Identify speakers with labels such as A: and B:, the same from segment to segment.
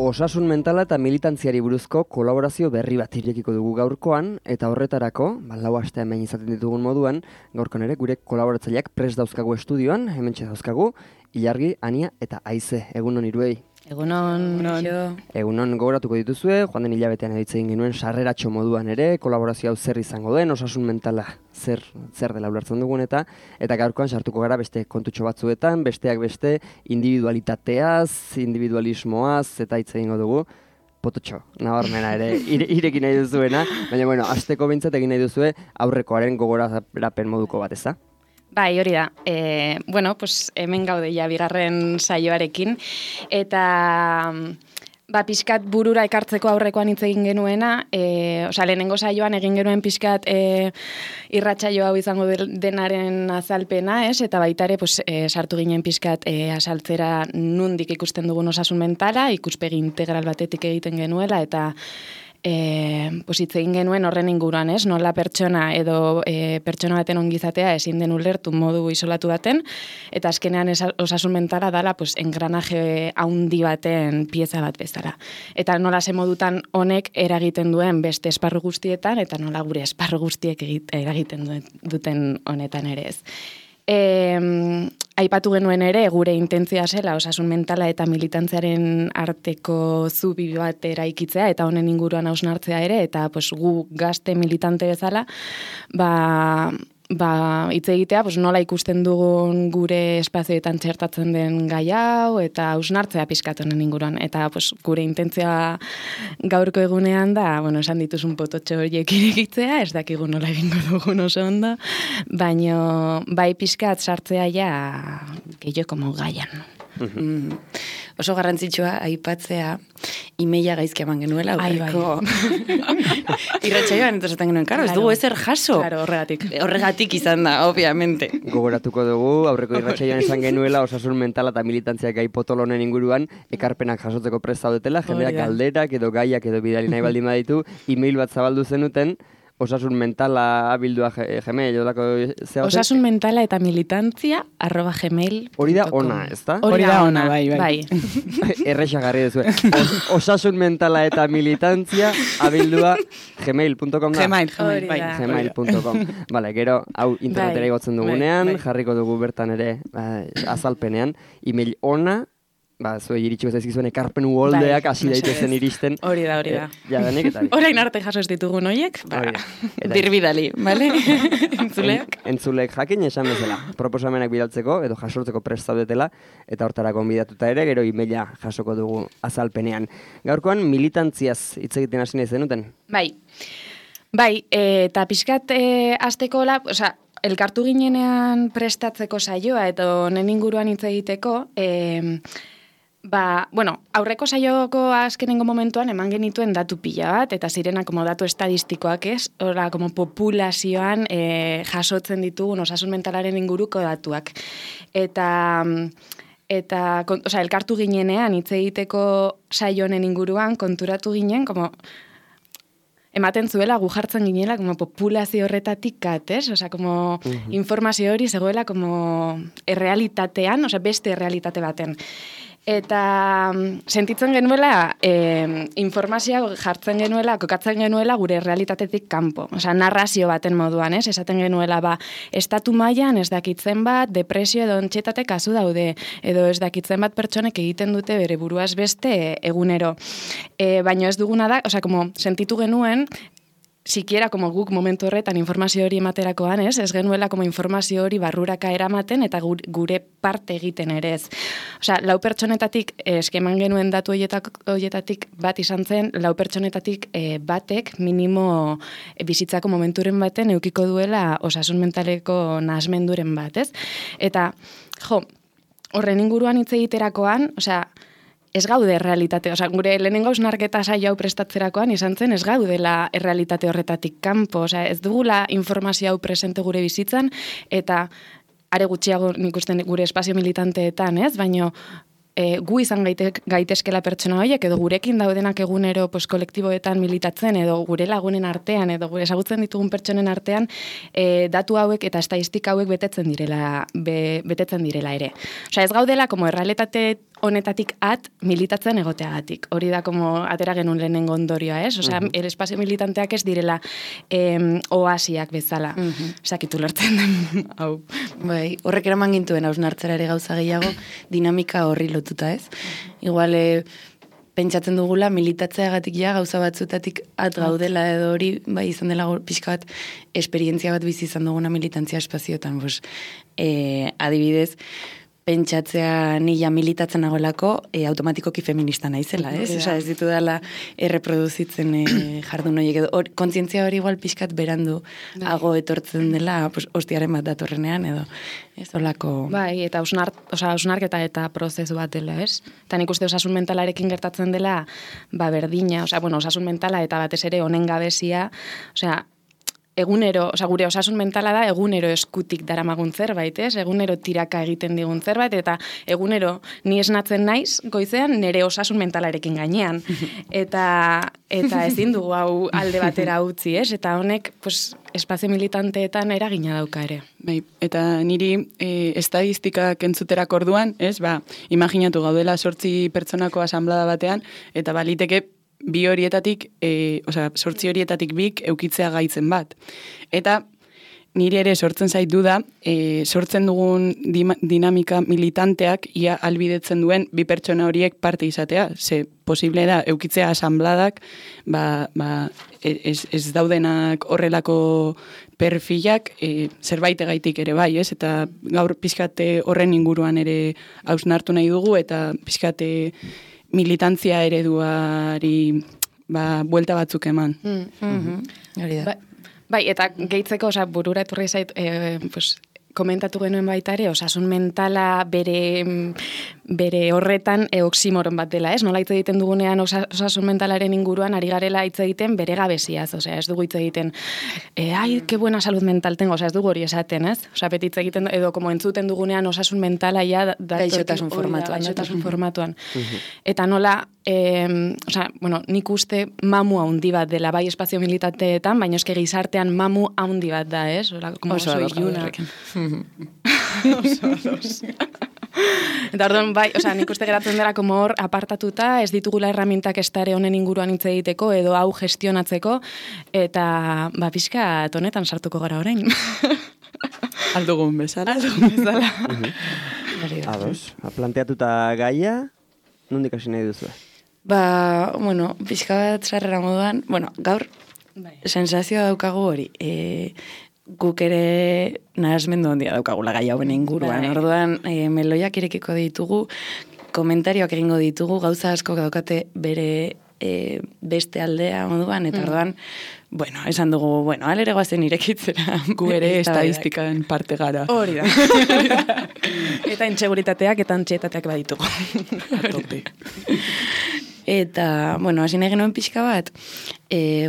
A: Osasun mentala eta militantziari buruzko kolaborazio berri bat irekiko dugu gaurkoan, eta horretarako, lau aste hemen izaten ditugun moduan, gaurkoan ere gure kolaboratzaileak prest dauzkagu estudioan, hementxe dauzkagu, Ilargi, Ania eta Aize. Egunon hiruei.
B: Egunon.
A: Egunon gogoratuko dituzue, joan den hilabetean editze egin genuen sarreratxo moduan ere, kolaborazio hau zer izango den, osasun mentala zer dela ulertzen dugun eta gaurkoan sartuko gara beste kontutxo batzuetan, besteak beste individualitateaz, individualismoaz eta hitz egingo dugu. Pototxo, nabarmena ere, irekin nahi duzuena, baina hasteko behintzat egin nahi duzue aurrekoaren gogorapen moduko bat, ezta?
B: Bai, hori da. Hemen gaude ja bigarren saioarekin, eta pixkat burura ekartzeko aurrekoan hitz egin genuena, lehenengo saioan egin genuen pixkat irratsaio hau izango denaren azalpena, eta baita ere sartu ginen pixkat azaltzera nundik ikusten dugun osasun mentala, ikuspegi integral batetik egiten genuela, eta hitz egin genuen horren inguruan, nola pertsona edo pertsona baten ongizatea ezin den ulertu modu isolatu baten, eta azkenean osasun mentala dala engranaje haundi baten pieza bat bezala. Eta nola ze modutan honek eragiten duen beste esparru guztietan, eta nola gure esparru guztiek eragiten duten honetan ere ez. Aipatu genuen ere, gure intentzioa zela osasun mentala eta militantziaren arteko zubi bat eraikitzea eta honen inguruan hausnartzea ere, eta gu gazte militante bezala, hitz egitea, nola ikusten dugun gure espazioetan txertatzen den gai hau, eta hausnartzea pixkat honen inguruan. Eta gure intentzioa gaurko egunean da, esan dituzun pototxo horiek irekitzea, ez dakigu nola egingo dugun oso ondo, baina bai pixkat sartzea ja gehiago como gaian.
C: Oso garrantzitsua aipatzea imeila gaizki eman genuela aurreko irratsaioan, eta esaten genuen, ez dugu ezer jaso.
B: Claro,
C: horregatik izan da, obviamente.
A: Gogoratuko dugu, aurreko irratsaioan esan genuela osasun mentala eta militantziak gai potolonen inguruan ekarpenak jasotzeko prest zaudetela, jendeak galderak edo gaiak edo bidali nahi baldin baditu, email bat zabaldu zenuten, osasun mentala abildua Gmail, jodako zehar?
B: Osasun mentala eta militantzia @gmail.com.
A: Hori da ona, ez da?
B: Hori da ona, bai.
A: Errexak garri duzu. Osasun mentala eta militantzia abildua gmail.com da? Gmail.com. Bale, gero, hau internetera igotzen dugunean, jarriko dugu bertan ere azalpenean, email ona, zuei iritsiko zaizkizuen ekarpen uholdeak hasi daitezen iristen.
B: Hori da.
A: Jadanik eta
B: orain arte jaso ez ditugun horiek,
C: birbidali, bale?
A: Entzulek jakin esan bezala, proposamenak bidaltzeko edo jasortzeko prest zaudetela, eta hortarako gonbidatuta ere, gero emaila jasoko dugu azalpenean. Gaurkoan militantziaz hitz egiten hasi nahi zenuten?
B: Bai, eta pixkat hasteko elkartu ginenean prestatzeko saioa eta honen inguruan hitz egiteko, aurreko saioko azkenengo momentuan eman genituen datu pila bat, eta zirena datu estadistikoak populazioan jasotzen ditugun osasun mentalaren inguruko datuak. Eta elkartu ginenean hitz egiteko saio honen inguruan konturatu ginen, ematen zuela gu jartzen ginela populazio horretatik ez? Informazio hori zegoela errealitatean, beste errealitate baten. Eta sentitzen genuela, informazioa jartzen genuela, kokatzen genuela gure realitatetik kanpo. Narrazio baten moduan, ez? Esaten genuela, estatu mailan ez dakitzen bat, depresio edo antxietate kasu daude, edo ez dakitzen bat pertsonek egiten dute bere buruaz beste egunero. Baina ez duguna da, sentitu genuen, sikiera guk momentu horretan informazio hori ematerakoan, ez genuela informazio hori barruraka eramaten eta gure parte egiten ere ez. 4 pertsonetatik eskeman genuen datu horietatik bat izan zen, 4 pertsonetatik batek minimo bizitzako momenturen baten edukiko duela osasun mentaleko nahasmenduren bat, ez? Eta, horren inguruan hitz egiterakoan, ez gaude errealitate, gure lehenengo hausnarketa saio hau prestatzerakoan izan zen, ez gaudela errealitate horretatik kanpo, ez dugula informazio hau presente gure bizitzan, eta are gutxiago nik uste gure espazio militanteetan, ez? Baina gu izan gaitezkela pertsona horiek, edo gurekin daudenak egunero kolektiboetan militatzen, edo gure lagunen artean, edo gure ezagutzen ditugun pertsonen artean, datu hauek eta estadistika hauek betetzen direla ere. Ez gaudela, errealitate honetatik militatzen egoteagatik. Hori da, como atera genuen lehenengo ondorioa, ez? Osea, el espazio militanteak ez direla oasiak bezala. Sakitu lertzen den, hau.
C: Bai, horrek eraman gintuen hausnartzera ere gauza gehiago, dinamika horri lotuta, ez? Igual, pentsatzen dugula militatzeagatik ja gauza batzutatik gaudela edo hori, bai, izan dela pixka bat esperientzia bat bizi izan duguna militantzia espazioetan, adibidez, pentsatzea nila militatzen nagoelako automatikoki feminista naizela, ez? Osa, ez ditu dela erreproduzitzen jardun horiek edo kontzientzia hori igual pixkat berandu hago etortzen dela, hostiaren bat datorrenean edo ez olako...
B: Bai, eta hausnarketa eta prozesu bat dela, ez? Eta nik uste osasun mentalarekin gertatzen dela, berdina, osasun mentala eta batez ere honen gabezia, egunero, gure osasun mentala da egunero eskutik daramagun zerbait, ez? Egunero tiraka egiten digun zerbait, eta egunero ni esnatzen naiz, goizean nire osasun mentalarekin gainean. Eta ezin dugu hau alde batera utzi, ez? Eta honek, espazio militanteetan eragina dauka ere.
D: Bai, eta niri estadistikak entzuterak orduan, ez? Imaginatu gaudela 8 pertsonako asanblada batean, eta baliteke 2 horietatik, 8 horietatik 2 eukitzea gaitzen bat. Eta nire ere sortzen zait duda, sortzen dugun dinamika militanteak ia albidetzen duen 2 pertsona horiek parte izatea. Ze posible da, eukitzea asanbladak, ez daudenak horrelako perfilak zerbaitegaitik ere bai, ez? Eta gaur pixkate horren inguruan ere hausnartu nahi dugu, eta pixkate militantzia ereduari buelta batzuk eman.
C: Hori da.
B: Bai, eta gehitzeko, burura etorri zait, komentatu genuen baita ere, osasun mentala bere horretan oximoron bat dela, ez? Nola hitz egiten dugunean osasun mentalaren inguruan ari garela hitz egiten bere gabeziaz, ez dugu hitz egiten, ai, que buena salud mental tengo, ez dugu hori esaten, ez? Beti hitz egiten, edo como entzuten dugunean osasun mentala ja
C: gaixotasun formatuan.
B: Eta nola, nik uste mamu haundi bat dela, bai espazio militanteetan, baina eske gizartean mamu haundi bat da, ez?
C: Oso iluna.
B: Eta orduan, bai, nik uste geratzen dela como hor apartatuta, ez ditugula herramientak estare honen inguruan hitz egiteko edo hau gestionatzeko, eta pixka honetan sartuko gara orain.
D: Aldugun bezala.
A: Ados, planteatuta gaia, nondik hasi nahi duzu?
C: Pixka bat zarrera moduan, gaur, sensazioa daukagu hori, guk ere nahasmendu handia daukagula gai hauen inguruan. Orduan, meloiak irekiko ditugu, komentarioak egingo ditugu, gauza asko daukate bere beste aldea moduan, eta orduan, esan dugu, alere goazen irekitzera.
D: Gu ere estadistikan parte gara.
B: Hori da. Eta intseguritateak eta antxietateak baditugu.
C: Eta, hasi nahi genuen pixka bat,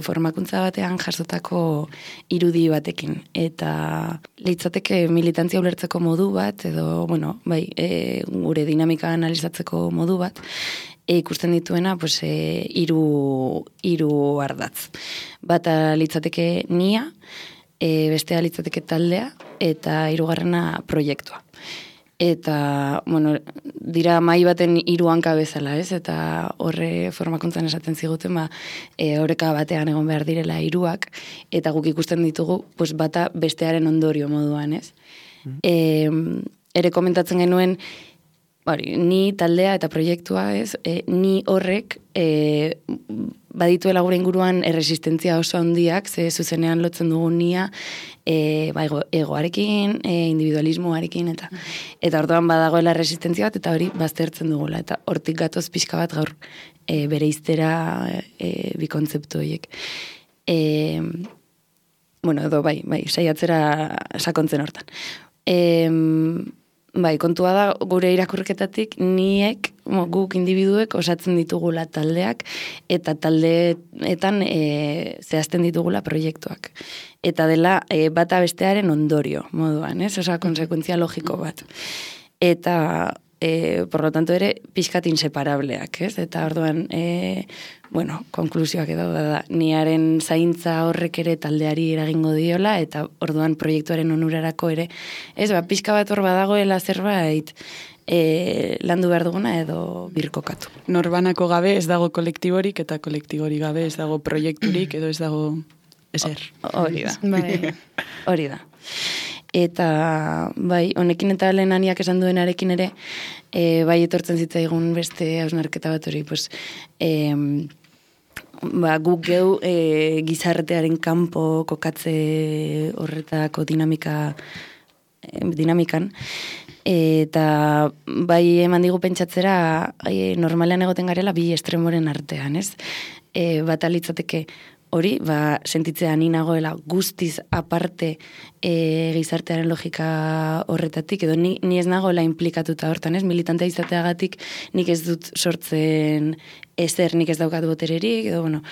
C: formakuntza batean jasotako irudi batekin. Eta litzateke militantzia ulertzeko modu bat, edo, gure dinamika analizatzeko modu bat, ikusten dituena, hiru ardatz. Bata litzateke nia, bestea litzateke taldea, eta hirugarrena proiektua. Eta, dira mai baten 3 hanka bezala, ez? Eta horre formakuntzan esaten ziguten, horreka batean egon behar direla 3ak, eta guk ikusten ditugu, bata bestearen ondorio moduan, ez? Ere komentatzen genuen, ni taldea eta proiektua, ez? Ni horrek badituela gure inguruan erresistentzia oso handiak, ze zuzenean lotzen dugu nia, egoarekin, individualismoarekin, eta orduan badagoela resistentzia bat, eta hori baztertzen dugula, eta hortik gatoz pixka bat gaur bere iztera bi kontzeptu horiek. Edo saiatzera sakontzen hortan. Kontua da, gure irakurketatik niek, guk individuek osatzen ditugula taldeak, eta taldeetan zehazten ditugula proiektuak. Eta dela bata bestearen ondorio moduan, ez? Konsekuentzia logiko bat. Eta, por lo tanto ere, pixkat inseparableak, ez? Eta orduan, konklusioak edo da, niaren zaintza horrek ere taldeari eragingo diola, eta orduan proiektuaren onurarako ere, ez, pixka bat hor badagoela zerbait, landu behar duguna edo birkokatu.
D: Norbanako gabe ez dago kolektiborik eta kolektiborik gabe ez dago proiekturik edo ez dago ezer.
C: Hori da.
B: Bai.
C: Hori da. Eta, bai, honekin eta lehenaniak esan duenarekin ere, bai etortzen zitzaigun beste hausnarketa bat hori, pues, guk geu gizartearen kanpo kokatze horretako dinamikan, eta bai eman digu pentsatzera normalean egoten garela bi estremoren artean, ez? Bat alitzateke hori, sentitzea ni nagoela guztiz aparte gizartearen logika horretatik, edo ni ez nagoela implikatuta hortan, ez? Militantea izateagatik nik ez dut sortzen ezer, nik ez daukat botererik, edo, bueno,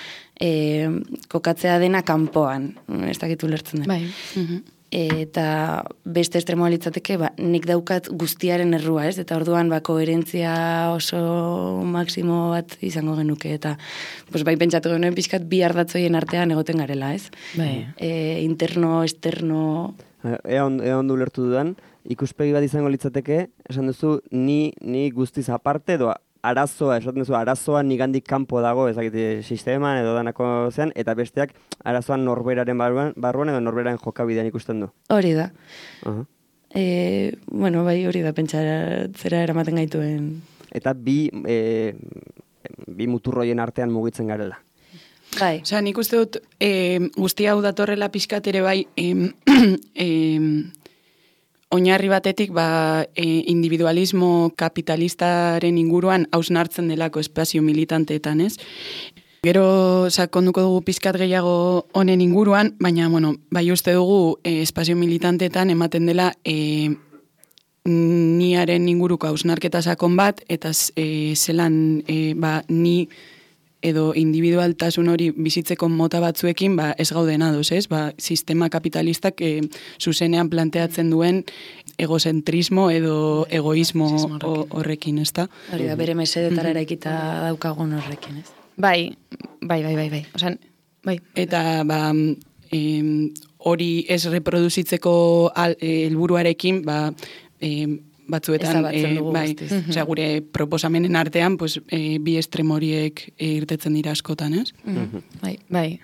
C: kokatzea dena kanpoan, ez dakit ulertzen den.
B: Bai.
C: Eta beste estremoa litzateke, nik daukat guztiaren errua, ez? Eta orduan koherentzia oso maksimo bat izango genuke, eta bai pentsatu genuen pixkat bi ardatzoien artean egoten garela, ez?
B: Bai.
C: Interno, externo...
A: Ea ondo ulertu dudan, ikuspegi bat izango litzateke, esan duzu, ni guztiz aparte, edo arazoa, esaten duzu, arazoa nigandik kanpo dago, ezakit sisteman edo danako zean, eta besteak arazoan norberaren barruan edo norberaren jokabidean ikusten du.
C: Hori da. Bueno, bai, hori da, pentsatzera eramaten gaituen.
A: Eta bi muturroien artean mugitzen garela.
C: Bai.
D: Osea, nik uste dut guzti hau datorrela pixkat ere bai oinarri batetik individualismo kapitalistaren inguruan hausnartzen delako espazio militanteetan, ez? Gero sakonduko dugu pizkat gehiago honen inguruan, baina bueno, bai uste dugu espazio militanteetan ematen dela niaren inguruko hausnarketa sakon bat, eta zelan ni edo individualtasun hori bizitzeko mota batzuekin ez gauden ados, ez? Sistema kapitalistak zuzenean planteatzen duen egozentrismo edo egoismo horrekin, ez da?
C: Hori da, bere mesedetara eraikita daukagun horrekin, ez?
B: Bai. Osan, bai.
D: Eta hori ez reproduzitzeko helburuarekin, batzuetan, osea, gure proposamenen artean, bi estremoriek irtetzen dira askotan, ez?
B: Bai.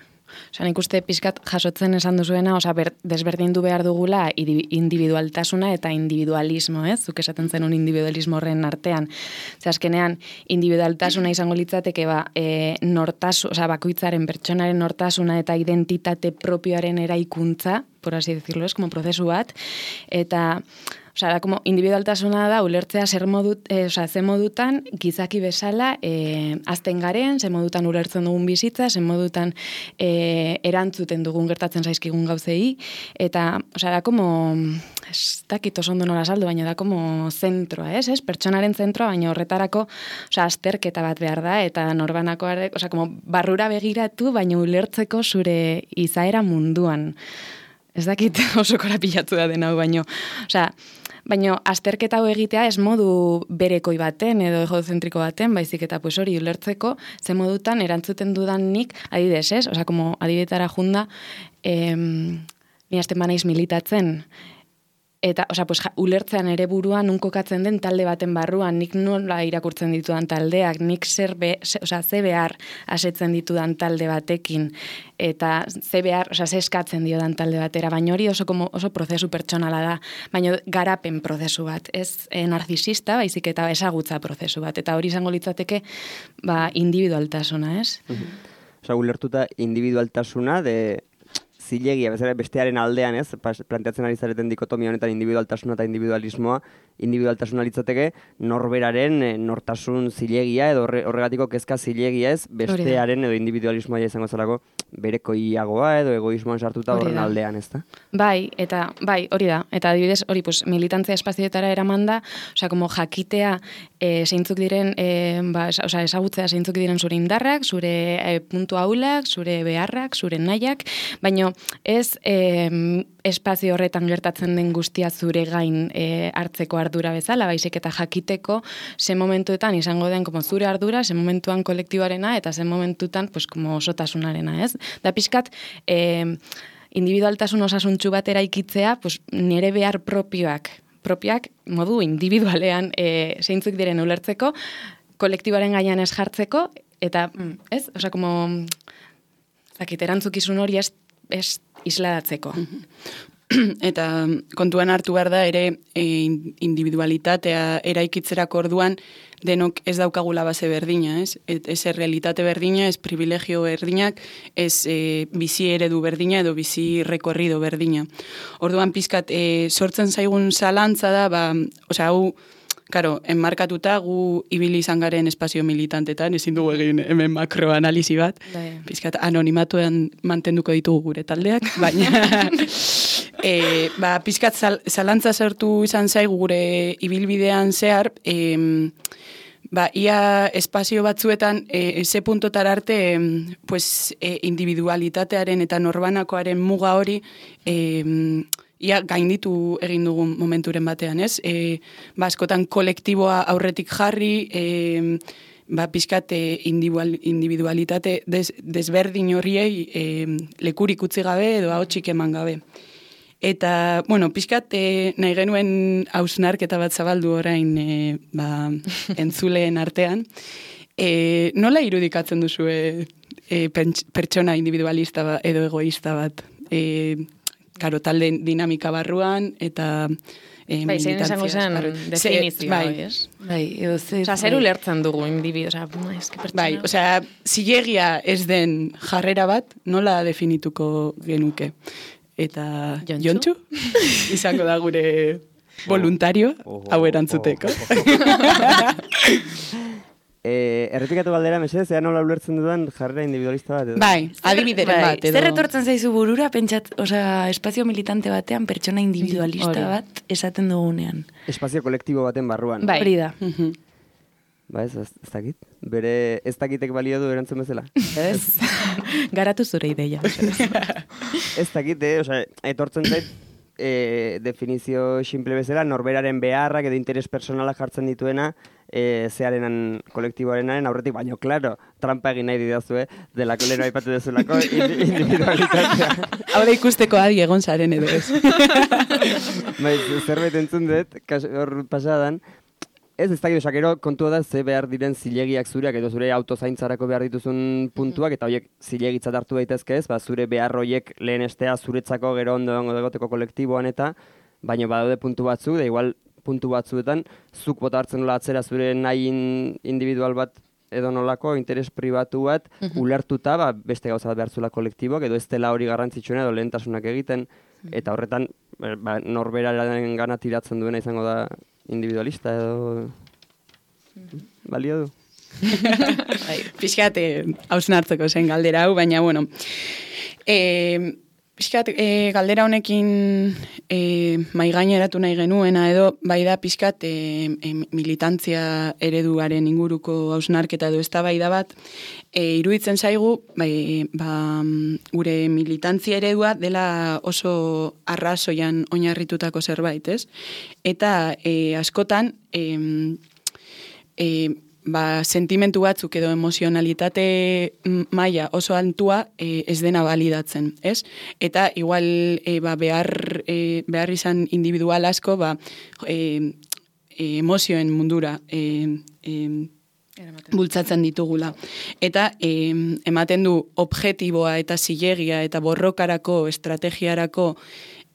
B: Osa, nik uste pixkat jasotzen esan duzuena, desberdindu behar dugula individualtasuna eta individualismo, ez? Zuk esaten zenun individualismo horren artean. Azkenean, individualtasuna izango litzateke, bakoitzaren pertsonaren nortasuna eta identitate propioaren eraikuntza, por así decirlo, es como prozesu bat, eta da, como individualtasuna da, ulertzea ze modutan gizaki bezala azten garen, ze modutan ulertzen dugun bizitza, ze modutan erantzuten dugun gertatzen zaizkigun gauzei, eta, da, como, ez dakit oso ondo nola saldu, baina da, como zentroa, ez? Pertsonaren zentroa, baina horretarako, azterketa bat behar da, eta norbanakoare, como barrura begiratu, baina ulertzeko zure izaera munduan. Ez dakit oso korapilatu da den hau, baina azterketa hau egitea ez modu berekoi baten edo egozentriko baten, baizik eta hori ulertzeko ze modutan erantzuten dudan nik, adibidez, ez? Como adibidetara junda, ni hasten banaiz militatzen, eta, ulertzean ere buruan unkokatzen den talde baten barruan, nik nola irakurtzen ditudan taldeak, nik ze behar asetzen ditudan talde batekin, eta ze behar, ze eskatzen diodan talde batera, baina hori oso prozesu pertsonala da, baina garapen prozesu bat, ez narzisista, baizik eta ezagutza prozesu bat, eta hori izango litzateke, individualtasuna, ez?
A: Ulertuta individualtasuna zilegia, bestearen aldean, ez? Planteatzen ari zareten dikotomia honetan individualtasuna eta individualismoa, individualtasuna litzateke norberaren nortasun zilegia edo horregatiko kezka zilegia, ez? Bestearen edo individualismoa izango zelako berekoiagoa edo egoismoan sartuta horren aldean, ez da?
B: Bai, hori da. Eta adibidez, hori, militantzia espazioetara eraman da, como jakitea zeintzuk diren, ezagutzea zeintzuk diren zure indarrak, zure puntu ahulak, zure beharrak, zure nahiak, baina ez espazio horretan gertatzen den guztia zure gain hartzeko ardura bezala, baizik eta jakiteko ze momentuetan izango den zure ardura, ze momentuan kolektiboarena eta ze momentutan osotasunarena, ez? Da pixkat, individualtasun osasuntxu bat eraikitzea, nire behar propioak propiak modu individualean zeintzuk diren ulertzeko, kolektiboaren gainean ez jartzeko, eta, ez? Osa, como, zakit, erantzukizun hori ez isladatzeko.
D: Eta kontuan hartu behar da ere individualitatea eraikitzerako orduan denok ez daukagula base berdina, ez? Ez realitate berdina, ez privilegio berdinak, ez bizi eredu berdina edo bizi rekorrido berdina. Orduan pizkat sortzen zaigun zalantza da, osea, hau, karo, enmarkatuta gu ibili izan garen espazio militantetan, ezin dugu egin hemen makroanalisi bat, pizkat anonimatuan mantenduko ditugu gure taldeak, baina pizkat zalantza sortu izan zaigu gure ibilbidean zehar, ia espazio batzuetan ze puntotar arte individualitatearen eta norbanakoaren muga hori ia gainditu egin dugun momenturen batean, ez? Askotan kolektiboa aurretik jarri, pizkat individualitate desberdin horriei lekurik utzi gabe edo ahotsik eman gabe. Eta, bueno, pizkat nahi genuen hausnarketa bat zabaldu orain entzuleen artean. Nola irudikatzen duzue pertsona individualista edo egoista bat? Karo, talde dinamika barruan, eta
B: militantzia. Esango zen definizioa, ez? Zer ulertzen dugu individu,
D: Bai, osea, zilegia ez den jarrera bat, nola definituko genuke? Eta Jontxu? Izango da gure voluntario, hau erantzuteko.
A: Errepikatu galdera, mesedez, ea nola ulertzen dudan jarrera individualista bat edo?
D: Bai, adibideren bat edo.
C: Zer etortzen zaizu burura, pentsat, espazio militante batean pertsona individualista bat esaten dugunean.
A: Espazio kolektibo baten barruan.
C: Bai. Hori da.
A: Ba ez dakit. Bere ez dakitek balio du erantzun bezala.
B: Ez. Garatu zure ideia.
A: Ez dakit, etortzen zait, definizio simple bezala, norberaren beharrak edo interes personala jartzen dituena, zearenan kolektiboarenaren aurretik, baino, klaro, trampa egin nahi didazue, delako leheno aipatu dezulako individualitatea.
D: Hau da ikusteko adi egon zaren edo ez.
A: Zerbait entzun dut, hor pasadan, ez dakit, osakero kontua da ze behar diren zilegiak zureak edo zure autozaintzarako behar dituzun puntuak, eta horiek zilegitzat hartu daitezke ez, zure behar horiek lehenestea zuretzako gero ondo egoteko kolektiboan eta, baina badaude puntu batzu, da igual puntu batzuetan, zuk bota hartzen nola atzera zure nahi individual bat edo nolako, interes pribatu bat, ulertuta, beste gauza bat behar zula kolektiboak, edo ez dela hori garrantzitsuena edo lehentasunak egiten, eta horretan, norberaren gana tiratzen duena izango da individualista edo balio du.
D: Pixkat, hausnartzeko zen galdera hau, baina, bueno, pixkat, galdera honekin maigaineratu nahi genuena edo, bai da pixkat militantzia ereduaren inguruko hausnarketa edo eztabaida bat, iruditzen zaigu, gure militantzia eredua dela oso arrazoian oinarritutako zerbait, ez? Eta askotan, sentimentu batzuk edo emozionalitate maila oso altua ez dena validatzen, ez? Eta igual behar izan individual asko emozioen mundura bultzatzen ditugula. Eta ematen du objektiboa eta zilegia eta borrokarako, estrategiarako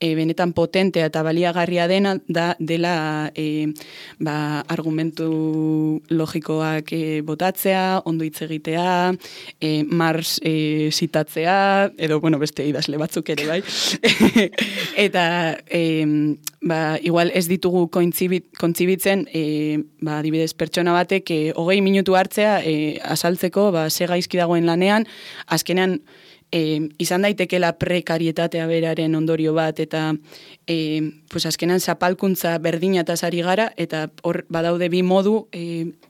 D: benetan potentea eta baliagarria dela argumentu logikoak botatzea, ondo hitz egitea, Marx zitatzea, edo, beste idazle batzuk ere, bai. Eta, igual ez ditugu kontzibitzen, adibidez, pertsona batek 20 minutu hartzea azaltzeko, ze gaizki dagoen lanean, azkenean, izan daitekela prekarietatea beraren ondorio bat, eta azkenan zapalkuntza berdinataz ari gara, eta hor badaude bi modu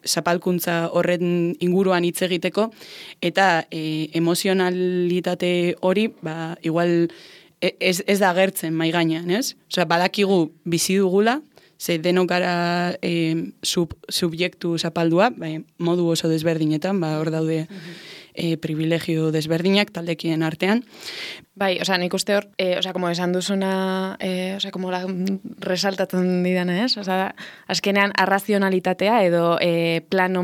D: zapalkuntza horren inguruan hitz egiteko, eta emozionalitate hori, igual ez da agertzen mai gainean, ez? Osea, badakigu bizi dugula, ze denok gara subjektu zapaldua, modu oso desberdinetan, hor daude privilegio desberdinak taldekien artean.
B: Bai, nik uste hor, como esan duzuna, como resaltatzen didana, ez? Azkenean, arrazionalitatea edo plano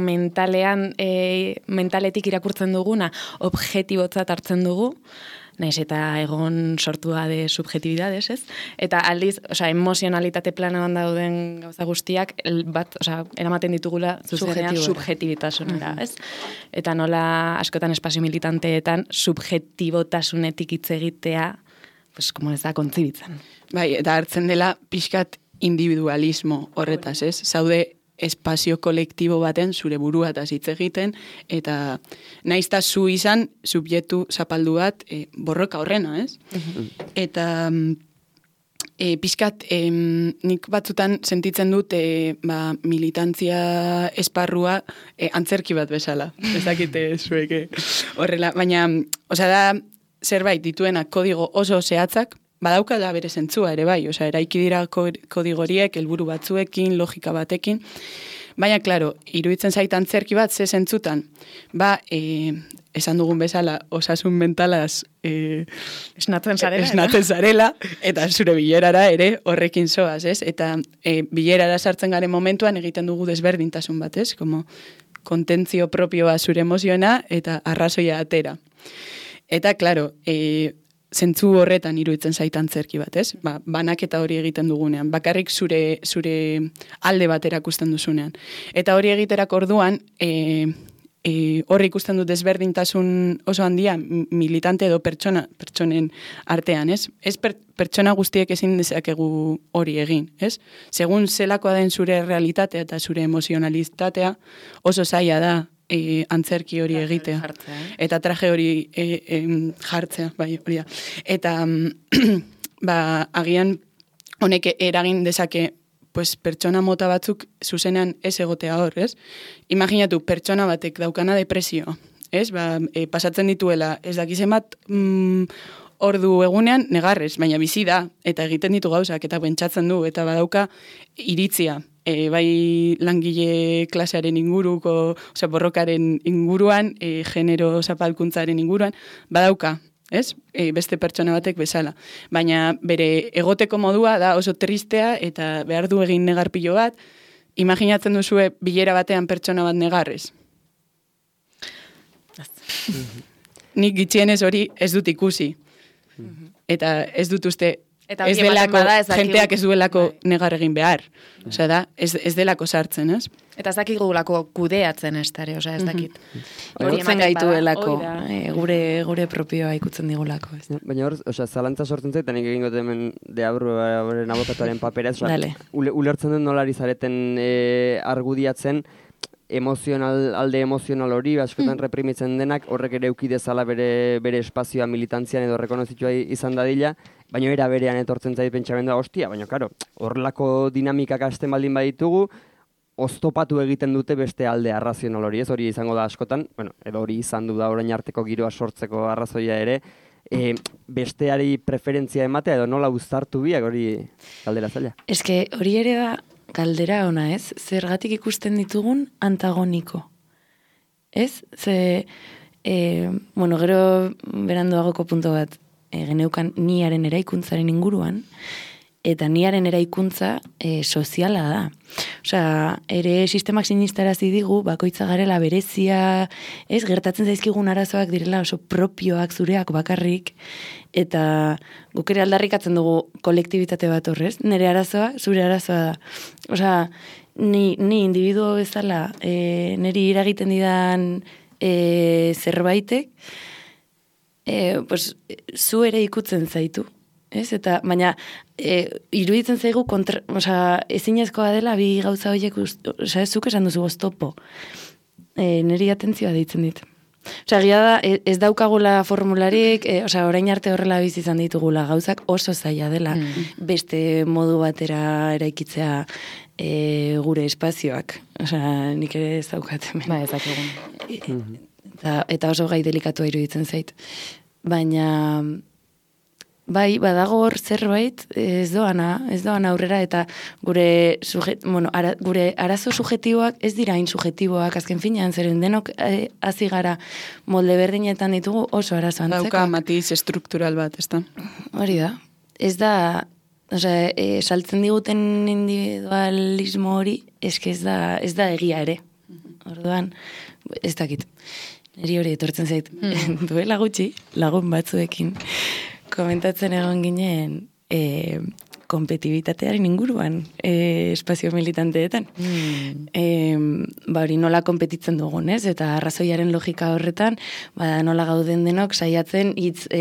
B: mentaletik irakurtzen duguna, objetibotzat hartzen dugu, naiz eta egon sortua de subjetividades, ez? Eta aldiz, emozionalitate planoan dauden gauza guztiak, eramaten ditugula zuzenean subjetibitasunera, ez? Eta nola askotan espazio militanteetan subjetibotasunetik hitz egitea, como ez da kontzibitzen.
D: Bai, eta hartzen dela pixkat individualismo horretaz, ez? Zaude espazio kolektibo baten zure buruataz hitz egiten, eta naizta zu izan subjektu zapaldu bat borroka horrena, ez? Eta pixkat nik batzutan sentitzen dut militantzia esparrua antzerki bat bezala. Ez dakite zueke horrela, baina da zerbait dituena kodigo oso zehatzak, badauka da bere zentzua ere bai, eraiki dira kodigoriek, helburu batzuekin, logika batekin, baina, klaro, iruditzen zait antzerki bat, ze zentzutan, esan dugun bezala, osasun mentalaz
B: esnatzen
D: zarela, eta zure bilerara ere horrekin zoaz, ez? Eta bilerara sartzen garen momentuan egiten dugu desberdintasun bat, ez? Como kontentzio propioa zure emozioena eta arrazoia atera. Eta, klaro, zentzu horretan iruditzen zait antzerki bat, ez? Banaketa hori egiten dugunean, bakarrik zure alde bat erakusten duzunean. Eta hori egiterak orduan, hori ikusten dut desberdintasun oso handia militante edo pertsonen artean, ez? Ez pertsona guztiek ezin dezakegu hori egin, ez? Segun zelakoa den zure realitatea eta zure emozionalitatea oso zaila da antzerki hori egitea. Eta traje hori jartzea, bai, hori da. Eta agian honek eragin dezake pertsona mota batzuk zuzenean ez egotea hor, ez? Imaginatu, pertsona batek daukana depresio, ez? Pasatzen dituela, ez dakizen bat ordu egunean negarrez, baina bizi da, eta egiten ditu gauzak, eta pentsatzen du, eta badauka iritzia. Bai langile klasearen inguruko, borrokaren inguruan, genero zapalkuntzaren inguruan, badauka, ez? Beste pertsona batek bezala. Baina bere egoteko modua da oso tristea eta behar du egin negarpilo bat. Imaginatzen duzue bilera batean pertsona bat negarrez. Nik gitxienez hori ez dut ikusi. Eta ez dut uste... Ez delako, jenteak ez duelako negar egin behar. Ez delako sartzen, ez?
B: Eta ez dakigulako kudeatzen ez dara, ez dakit.
C: Ikutzen gaituelako, gure propioa ikutzen digulako.
A: Baina hor, zalantza sortzen zait, eta nik egingo hemen deabroaren abokatuaren papera, ulertzen dut nolari zareten argudiatzen, alde emozional hori, askotan reprimitzen denak, horrek ere eukidezala bere espazioa militantzian edo rekonozitua izan dadila, baina era berean etortzen zait pentsamendua, hostia, baina karo, horrelako dinamikak hasten baldin baditugu, oztopatu egiten dute beste alde arrazional hori, ez hori izango da askotan, edo hori izan du da orain arteko giroa sortzeko arrazoia ere, besteari preferentzia ematea edo nola uztartu biak hori galdera zaila.
C: Eske hori ere da galdera ona, ez? Zergatik ikusten ditugun antagoniko. Ez? Gero beranduagoko punto bat geneukan niaren eraikuntzaren inguruan, eta niaren eraikuntza soziala da. Ere sistemak sinistarazi digu, bakoitza garela berezia, ez, gertatzen zaizkigun arazoak direla oso propioak zureak bakarrik, eta guk ere aldarrikatzen dugu kolektibitate bat horrez, nire arazoa, zure arazoa da. Ni individuo bezala, niri iragiten didan zerbaitek, zu ere ikutzen zaitu. Ez? Eta, baina, iruditzen zaigu ezinezkoa dela bi gauza horiek, zuk esan duzu oztopo. Niri atentzioa deitzen dit. Gira da, ez daukagula formularik, orain arte horrela bizi izan ditugula gauzak oso zaila dela, beste modu batera eraikitzea gure espazioak. Nik ere ez daukaten.
B: Ba, ez dakigun.
C: Eta oso gai delikatua iruditzen zait. Baina... bai, badago hor zerbait, ez doana aurrera, eta gure, gure arazo subjetiboak ez dira hain subjetiboak, azken finean, zeren denok hasi gara molde berdinetan ditugu oso arazo antzeko.
D: Dauka matiz estruktural bat, ez da?
C: Hori da. Ez da, saltzen diguten individualismo hori, eske ez da egia ere. Orduan, ez dakit. Neri hori etortzen zait, duela gutxi, lagun batzuekin, komentatzen egon ginen kompetibitatearen inguruan espazio militanteetan. Hori nola kompetitzen dugun, ez? Eta arrazoiaren logika horretan, nola gauden denok saiatzen hitz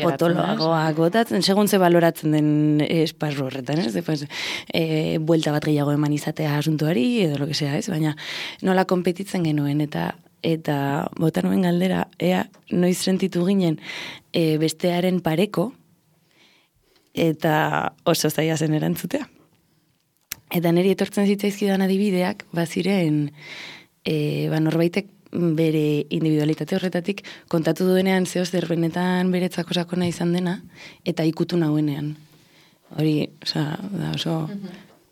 C: potoloagoak botatzen, segun ze baloratzen den esparru horretan, ez? Buelta bat gehiago eman izatea asuntuari, edo lo que sea, ez? Baina nola kompetitzen genuen, eta bota nuen galdera, ea noiz sentitu ginen bestearen pareko, eta oso zaila zen erantzutea. Eta niri etortzen zitzaizkidan adibideak, baziren, norbaitek bere individualitate horretatik kontatu duenean zehoz derbenetan beretzako sakona izan dena, eta ikutu nauenean. Hori, oso...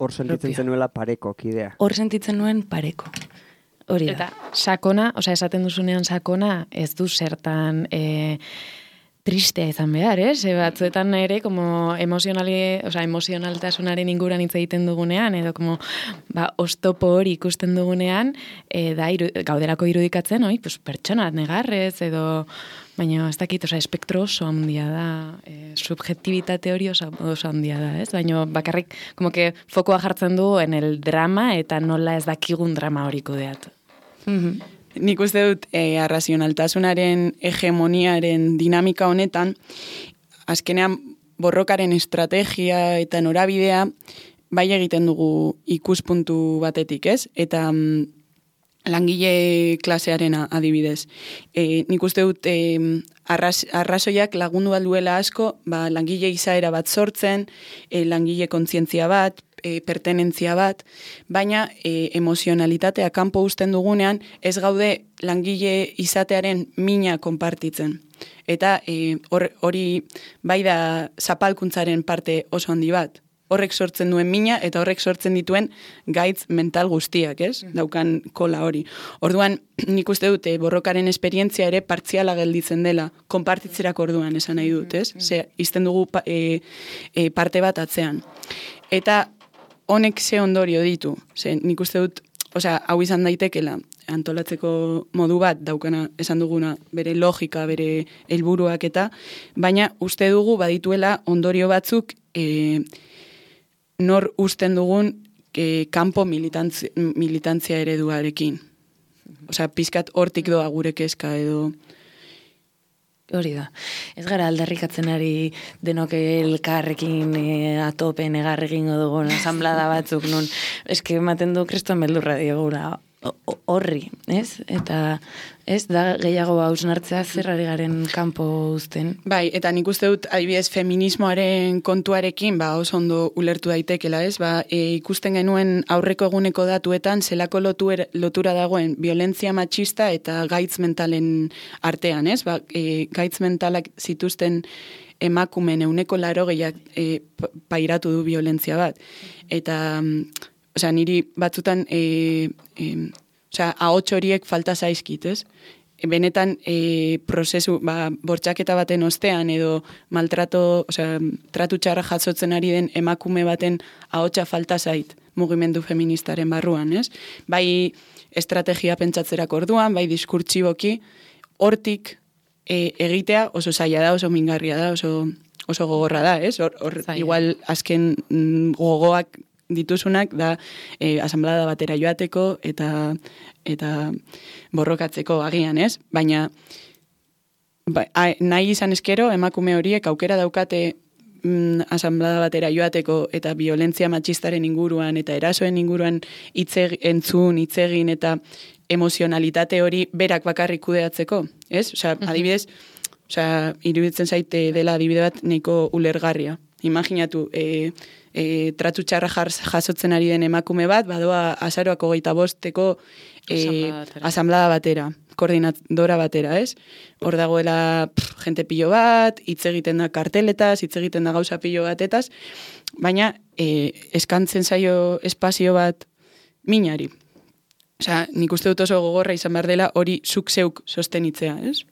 A: Hor sentitzen zenuela pareko, kidea.
C: Hor sentitzen nuen pareko. Hori da.
B: Eta sakona, esaten duzunean sakona, ez du zertan... tristea izan behar, batzuetan ere, como emozionaltasunaren inguran hitz egiten dugunean, edo como, oztopo hori ikusten dugunean, gauderako irudikatzen, pertsona negarrez, edo, baina ez dakit, espektro oso handia da, subjektibitate hori oso handia da, ez? Baina bakarrik, como que fokoa jartzen du en el drama, eta nola ez dakigun drama hori kudeatu.
D: Nik uste dut arrazionaltasunaren hegemoniaren dinamika honetan, azkenean borrokaren estrategia eta norabidea bai egiten dugu ikuspuntu batetik, ez? Eta langile klasearena adibidez. Nik uste dut arrazoiak lagundu alduela asko, langile izaera bat sortzen, langile kontzientzia bat, pertenentzia bat, baina emozionalitatea kanpo uzten dugunean ez gaude langile izatearen mina konpartitzen. Eta hori bai da zapalkuntzaren parte oso handi bat. Horrek sortzen duen mina eta horrek sortzen dituen gaitz mental guztiak, ez? Daukan kola hori. Orduan, nik uste dute borrokaren esperientzia ere partziala gelditzen dela, konpartitzerako orduan esan nahi dut, ez? Izten dugu parte bat atzean. Eta honek ze ondorio ditu. Nik uste dut, hau izan daitekela, antolatzeko modu bat daukana esan duguna bere logika, bere helburuak eta, baina uste dugu badituela ondorio batzuk nor usten dugun kanpo militantzia ereduarekin. Pizkat hortik doa gure kezka edo...
C: Hori da. Ez gara aldarrikatzen ari denok elkarrekin atopen egarrekin dugun asamblada batzuk nun. Eske ematen du kriston beldurra diogura horri, ez? Eta ez da gehiago hausnartzea zerrari garen kanpo uzten.
D: Bai, eta nik uste dut adibidez feminismoaren kontuarekin oso ondo ulertu daitekela, ez? Ikusten genuen aurreko eguneko datuetan zelako lotura dagoen violentzia matxista eta gaitz mentalen artean, ez? Gaitz mentalak zituzten emakumen 80% pairatu du violentzia bat. Eta niri batzutan ahots horiek falta zaizkit, ez? Benetan prozesu, bortxaketa baten ostean edo tratu txarra jasotzen ari den emakume baten ahotsa falta zait mugimendu feministaren barruan, ez? Bai estrategia pentsatzerako orduan, bai diskurtsiboki, hortik egitea oso zaila da, oso mingarria da, oso gogorra da, ez? Igual azken gogoak dituzunak da asamblada batera joateko eta borrokatzeko agian, ez? Baina nahi izan eskero emakume horiek aukera daukate asamblada batera joateko eta violentzia matxistaren inguruan eta erasoen inguruan hitz egin eta emozionalitate hori berak bakarrik kudeatzeko, ez? Adibidez, iruditzen zaite dela adibide bat nahiko ulergarria. Imaginatu, tratu txarra jasotzen ari den emakume bat, badoa azaroak 25 asamblada batera. koordinadora batera, ez? Hor dagoela jente pilo bat, hitz egiten da karteletaz, hitz egiten da gauza pilo batetaz, baina eskantzen zaio espazio bat minari. Osea, nik uste dut oso gogorra izan behar dela hori zuk zeuk sostenitzea, ez?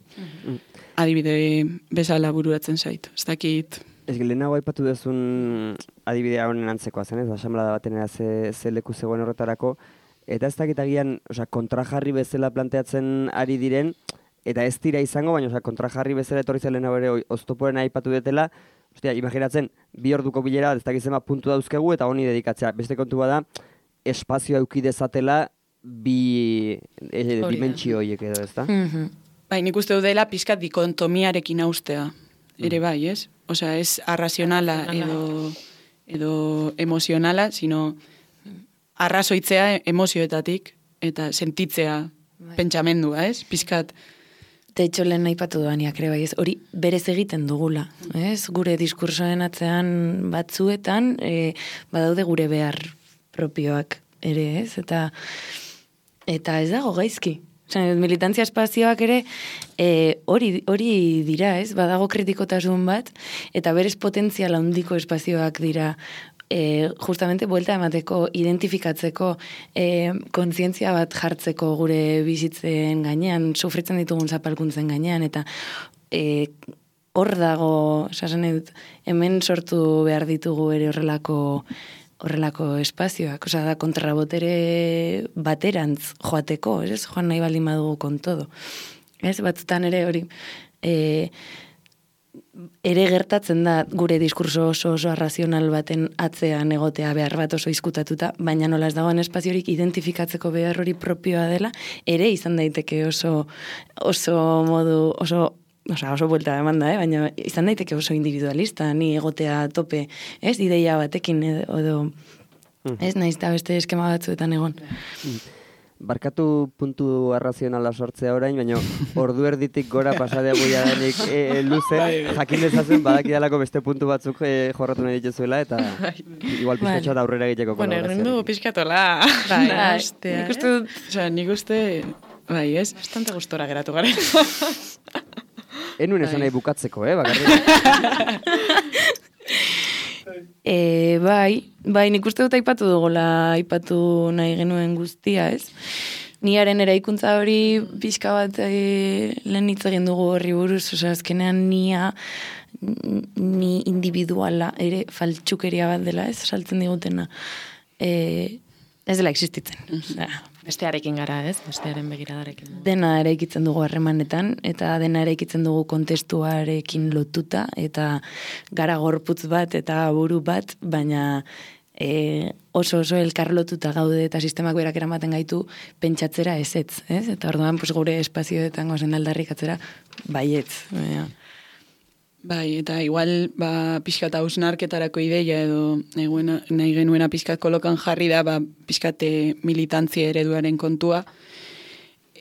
D: Adibide bezala bururatzen zait. Ez dakit...
A: Ez lehenago aipatu duzun adibidea honen antzekoa zen, ez? Asamblada batenera ze leku zegoen horretarako, eta ez dakit agian, kontrajarri bezala planteatzen ari diren, eta ez dira izango, baina kontrajarri bezala etorri zen lehenago ere oztoporen aipatu detela, imaginatzen, 2 orduko bilera, ez dakit zema puntu dauzkegu, eta honi dedikatzea. Beste kontu bada, espazioa eduki dezatela bi dimentsio horiek edo, ez da?
D: Bai, nik uste dela pizkat dikontomiarekin austea, ere bai, ez? Osea, ez arrazionala edo emozionala, sino arrazoitzea emozioetatik eta sentitzea pentsamendua, ez? Pizkat.
C: De hecho, lehen aipatu doaniak ere bai, ez? Hori berez egiten dugula, ez? Gure diskursoen atzean batzuetan, badaude gure behar propioak ere, ez? Eta ez dago gaizki. Militantzia espazioak ere hori dira, ez? Badago kritikotasun bat, eta berez potentziala handiko espazioak dira justamente buelta emateko, identifikatzeko, kontzientzia bat jartzeko gure bizitzen gainean, sufritzen ditugun zapalkuntzen gainean, eta hor dago, esasen dut, hemen sortu behar ditugu ere horrelako espazioak, osea da kontrabotere baterantz joateko, ez? Joan nahi baldin badugu kontodo. Ez, batzutan ere hori ere gertatzen da gure diskurso oso arrazional baten atzean egotea behar bat oso izkutatuta, baina nola ez dagoen espaziorik identifikatzeko behar hori propioa dela, ere izan daiteke oso modu, oso buelta demanda, baina izan daiteke oso individualista, ni egotea tope, ez, ideia batekin edo, ez, nahiz eta beste eskema batzuetan egon.
A: Barkatu puntu arrazionala sortzea orain, baina ordu erditik gora pasadegu jadanik luze, jakin dezazen badakidalako beste puntu batzuk jorratu nahi dituzuela, eta igual pizkatxoa da aurrera egiteko kolaborazioa.
B: Bueno, egin du pizkatola.
D: Nik uste, bai, ez?
B: Bastante gustora geratu garen.
A: Enuen esan nahi bukatzeko, bakarrik.
C: Bai, nik uste dut aipatu nahi genuen guztia, ez? Niaren eraikuntza hori pixka bat lehen hitz egin dugu horri buruz, osea, azkenean ni individuala ere faltsukeria bat dela, ez? Saltzen digutena. Ez dela existitzen.
B: Bestearekin gara, ez? Bestearen begiradarekin.
C: Dena eraikitzen dugu harremanetan, eta dena eraikitzen dugu kontestuarekin lotuta, eta gara gorputz bat eta buru bat, baina oso elkarlotuta gaude eta sistemak berak eramaten gaitu pentsatzera ezetz, ez? Eta orduan gure espazioetan gozen aldarrikatzera baietz.
D: Bai, eta igual pixkat hausnarketarako ideia edo nahi genuena pixkat kolokan jarri da pixkat militantzia ereduaren kontua.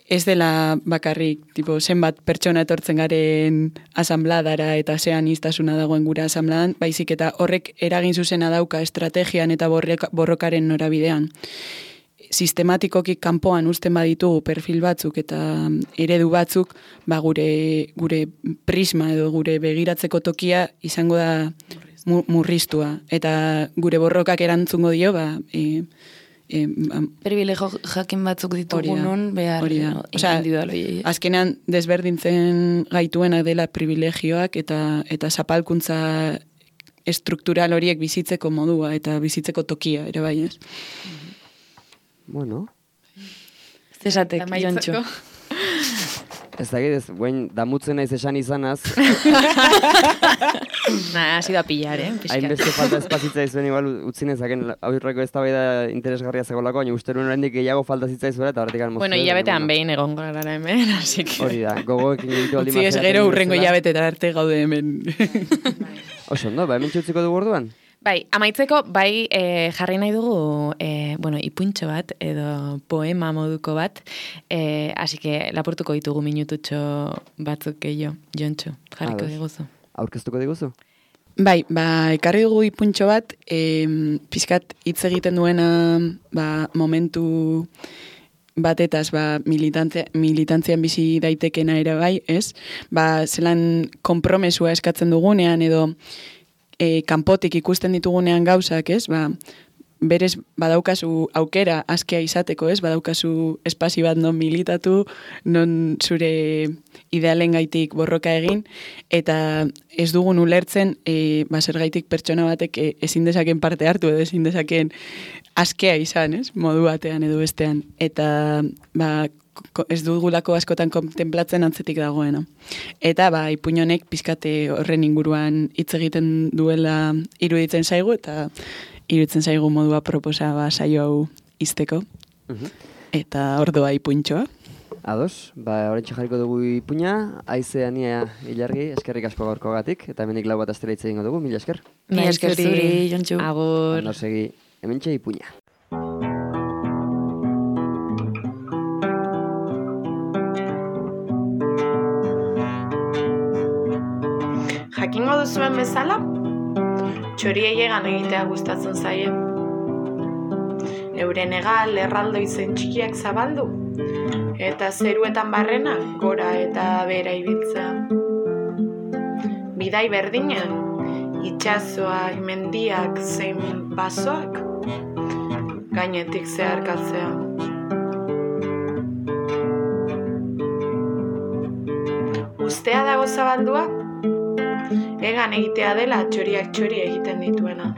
D: Ez dela bakarrik, zenbat pertsona etortzen garen asambladara eta zean iztasuna dagoen gure asambladan, baizik eta horrek eragin zuzena dauka estrategian eta borrokaren norabidean. Sistematikoki kanpoan uzten baditugu perfil batzuk eta eredu batzuk, gure prisma edo gure begiratzeko tokia izango da murriztua. Eta gure borrokak erantzungo dio,
C: privilegio jakin batzuk ditugunon behar individualoi.
D: Azkenean desberdintzen gaituena dela privilegioak eta zapalkuntza estruktural horiek bizitzeko modua eta bizitzeko tokia, ere bai, ez?
A: Bueno.
C: Zesatek, Jontxo.
A: Ez dakit, guen damutzen naiz esan izanaz.
B: Ha sido a pillar,
A: Hainbeste falta espazitza izuen, igual utzinezaken aurreko eztabaida interesgarria zegolako, baina uste nuen oraindik gehiago falta zitzaizuen eta horretik moztu.
B: Bueno, hilabetean behin egongo gara hemen, así que...
A: Hori da, gogoekin egitu aldi
D: mazera. Utzi ez gero urrengo hilabetetan arte gaude hemen.
A: Oso, no? Hemen txutziko dugu orduan?
B: Bai, amaitzeko, jarri nahi dugu, ipuintxo bat, edo poema moduko bat, así que lapurtuko ditugu minututxo batzuk gehiago, Jontxo, jarriko diguzu.
A: Aurkeztuko diguzu?
D: Bai, ekarri dugu ipuintxo bat, pizkat hitz egiten duena momentu batetaz militantzian bizi daitekena ere bai, ez? Zelan konpromesua eskatzen dugunean edo kanpotik ikusten ditugunean gauzak, ez? Berez badaukazu aukera askea izateko, ez? Badaukazu espazio bat non militatu, non zure idealen gaitik borroka egin, eta ez dugun ulertzen zergaitik pertsona batek ezin dezaken parte hartu edo ezin dezaken askea izan, ez? Modu batean edo bestean. Eta ez dugulako askotan kontemplatzen antzetik dagoena. Eta ipuin honek pizkate horren inguruan hitz egiten duela iruditzen zaigu, eta iruditzen zaigu modua proposa saio hau izteko. Eta ordoa ipuntxoa.
A: Ados, horrentxe jarriko dugu ipuina, Aize Ania Ilargi, eskerrik asko gaurkogatik, eta hemendik lau bat astera hitz egingo dugu, mila esker.
C: Mila esker zuri, Jontxu.
B: Agur.
A: Ondo segi, hementxe ipuina.
E: Jakingo duzuen bezala, txoriei egan egitea gustatzen zaie. Euren egal erraldoi zen txikiak zabaldu, eta zeruetan barrena gora eta bera ibiltzea. Bidai berdinean, itsasoak, mendiak zein basoak, gainetik zeharkatzea. Ustea dago zabaldua, egan egitea dela txoriak txori egiten dituena.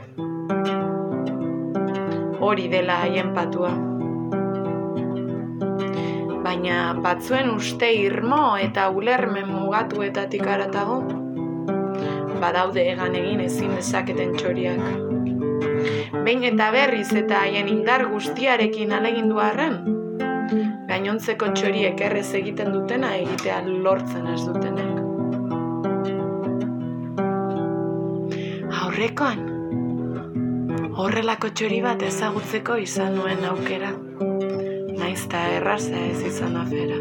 E: Hori dela haien patua. Baina batzuen uste irmo eta ulermen mugatuetatik haratago, badaude egan egin ezin dezaketen txoriak. Behin eta berriz eta haien indar guztiarekin alegindu arren, gainontzeko txoriek errez egiten dutena egitea lortzen ez dutenek. Aurrekoan, horrelako txori bat ezagutzeko izan nuen aukera, naiz ta erraza ez izan afera.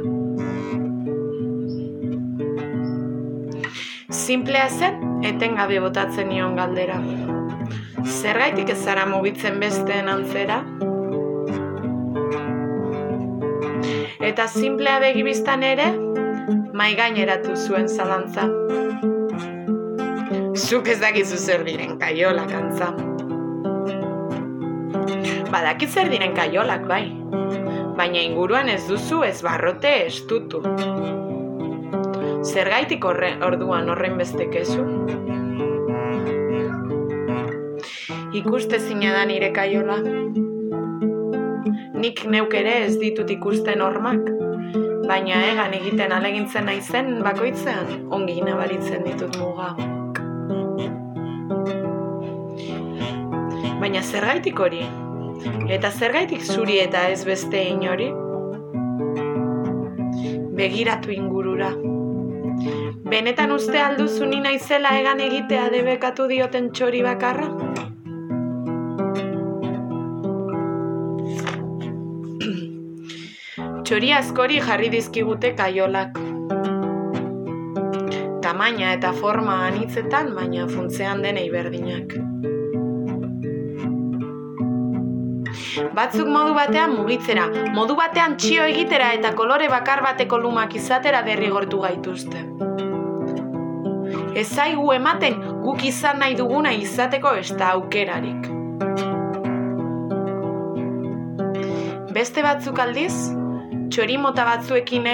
E: Simplea zen, etengabe botatzen nion galdera. Zergaitik ez zara mugitzen besteen antzera? Eta simplea begibiztan ere, maigaineratu zuen zalantza. Zuk ez dakizu zer diren kaiolak antza. Badakit zer diren kaiolak bai, baina inguruan ez duzu ez barrote estutu. Zergaitik orduan horren beste kezu? Ikustezina da nire kaiola. Nik neuk ere ez ditut ikusten hormak, baina egan egiten alegintzen naizen bakoitzean ongi nabaritzen ditut muga. Baina zergaitik hori? Eta zergaitik zuri eta ez beste inori? Begiratu ingurura. Benetan uste alduzu ni naizela egan egitea debekatu dioten txori bakarra? Txori askori jarri dizkigute kaiolak. Tamaina eta forma anitzetan, baina funtzean denei berdinak. Batzuk modu batean mugitzera, modu batean txio egitera eta kolore bakar bateko lumak izatera derrigortu gaituzte. Ez zaigu ematen guk izan nahi duguna izateko ez da aukerarik. Beste batzuk aldiz, txori mota batzuekin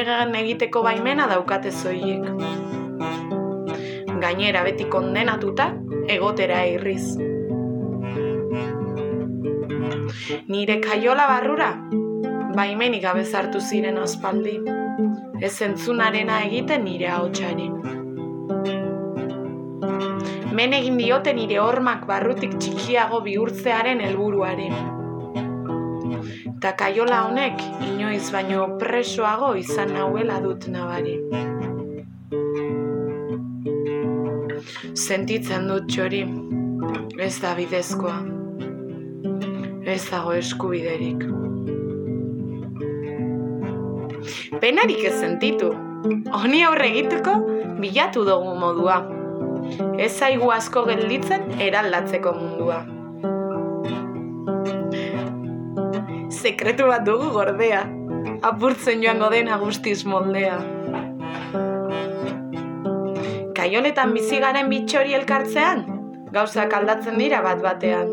E: egiteko baimena daukate zoiek. Gainera beti kondenatuta, egotera irriz. Nire kaiola barrura, baimenik gabe sartu ziren aspaldi, ez entzunarena egiten nire ahotsari. Men egin diote nire hormak barrutik txikiago bihurtzearen helburuari. Ta kaiola honek inoiz baino presoago izan nauela dut nabari. Sentitzen dut txori, ez da bidezkoa. Ez dago eskubiderik. Penarik ez sentitu. Honi aurre egiteko bilatu dugu modua. Ez zaigu asko gelditzen eraldatzeko mundua. Sekretu bat dugu gordea. apurtzen joango dena guztiz moldea. Kaioletan bizi garen bitxori elkartzean, gauzak aldatzen dira bat batean.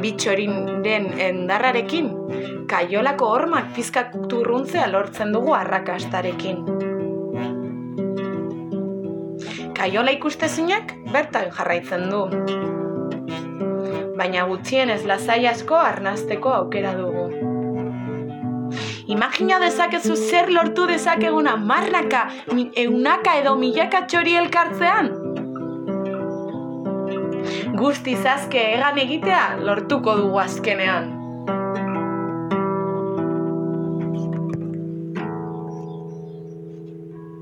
E: Bitxoriren endarrarekin, kaiolako hormak pizkak turruntzea lortzen dugu arrakastarekin. Kaiola ikustezinak bertan jarraitzen du. Baina gutxienez lasai asko arnasteko aukera dugu. Imagina dezakezu zer lortu dezakeguna marraka, eunaka edo milaka txori elkartzean? Guztiz azke egan egitea lortuko dugu azkenean.